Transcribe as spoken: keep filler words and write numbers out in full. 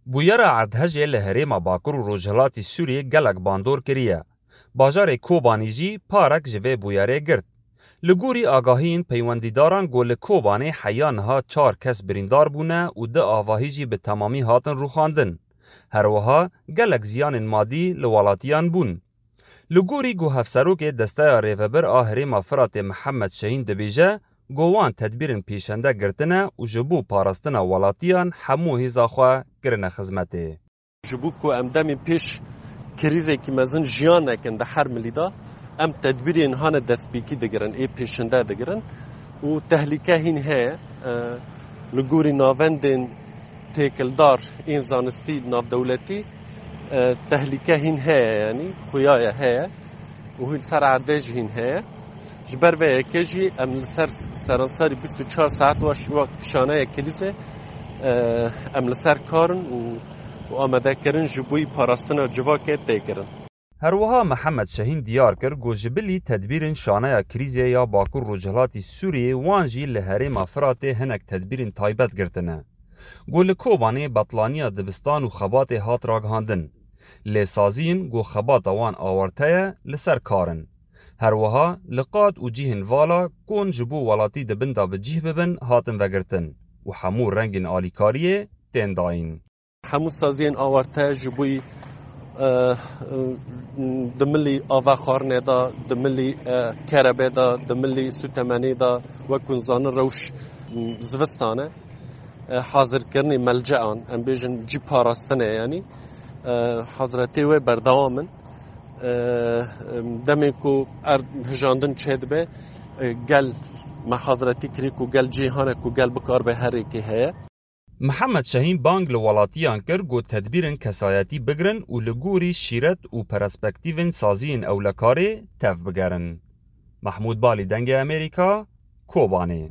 Bûyera erdhejê li herêma Bakur û Rojhilatî Sûriyê gelek bandor kiriye. Bajarê Kobanî jî parek ji vê bûyerê girt. Li gorî agahiyên peywendîdaran ku li Kobanê heya niha çar kes birîndar bûne û du avahî jî bi temamî hatin rûxandin. Her wiha gelek ziyanên madî li welatiyan bûn. Li gorî ku Hevserokê Desteya Rêvebir a Herêma Firatê Mihemed Şehîn dibêje ku wan tedbîrên pêşende girtine û ji bo parastina welatiyan hemû hêza xwe kirine xizmetê. Ji bo ku em demên pêş krîzekî mezin jiyan nekin di her milî de, em tedbîrên hane destpêkî digirin, ê pêşinde digirin û tehlîke hîn heye. E, li gorî navendên têkildar ên zanistî navdewletî, e, tehlîke hîn heye, yanî xuya ye heye û hîn ser erdê jî hîn heye. Ji ber vê yekê jî em li ser seranserî bîst û çar saet wa şi-, wa şaneya krîzê, e, em li ser kar in û, û amadekirin ji bo parastina civakê tê kirin. Her wiha Mihemed Şehîn diyar kir ku ji bilî tedbîrên şaneya krîzê ya Bakur Rojhilatî Sûriyê wan jî li herêma Firatê hinek tedbîrên taybet girtine. Ku li Kobanê betlaniya dibistan û xebatê hat ragihandin. Lê saziyên ku xebata wan awarte ye li ser kar in. Her wiha li qad û cihên vala kon ji bo welatî di bin de bi cih bibin hatin vegirtin û hemû rengên alîkariyê tên dayîn. Hemû saziyên awarte ji bo, e, e, di milî ava xwarinê de, di milî, e, kerebê de, di milî sûtemenê de, wek hûn zanin rewş, m, zivistan e. E, hazirkirinê melcean, em bêjin cî parastinê, yanî, e, hazretê wê berdewam in. E, demê ku erd hijandin çêdibe, e, gel me hazretî kirî ku gel cî hane ku gel bikaribe her rêkê heye. Mihemed Şehîn bang li welatiyan kir ku tedbîrên kesayetî bigirin û li gorî şîret û perspektîvên saziyên ewlekarê tev bigerin. Mehmûd Balî, Dengê Amerîka, Kobanê.